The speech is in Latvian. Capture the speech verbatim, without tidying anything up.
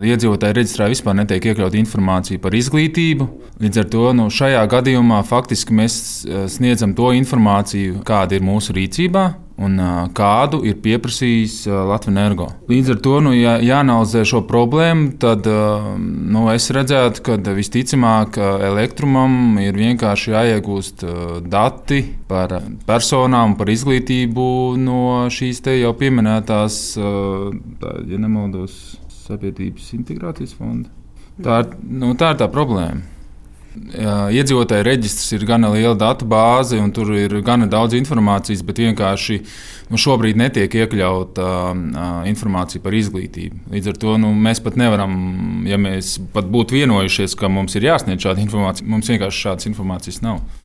Iedzīvotāju reģistrā vispār netiek iekļauta informācija par izglītību. Līdz ar to nu, šajā gadījumā faktiski mēs sniedzam to informāciju, kāda ir mūsu rīcībā un kādu ir pieprasījis Latvenergo. Līdz ar to, nu, ja jāanalizē šo problēmu, tad nu, es redzētu, ka visticamāk Elektrumam ir vienkārši jāiegūst dati par personām, par izglītību no šīs te jau pieminētās, ja nemaldos, Sabiedrības integrācijas fonda. Tā ir, nu, tā ir tā problēma. Iedzīvotāju reģistrs ir gana liela datu bāze, un tur ir gana daudz informācijas, bet vienkārši nu, šobrīd netiek iekļauta uh, informācija par izglītību. Līdz ar to nu, mēs pat nevaram, ja mēs pat būtu vienojušies, ka mums ir jāsniedz šāda informācija, mums vienkārši šādas informācijas nav.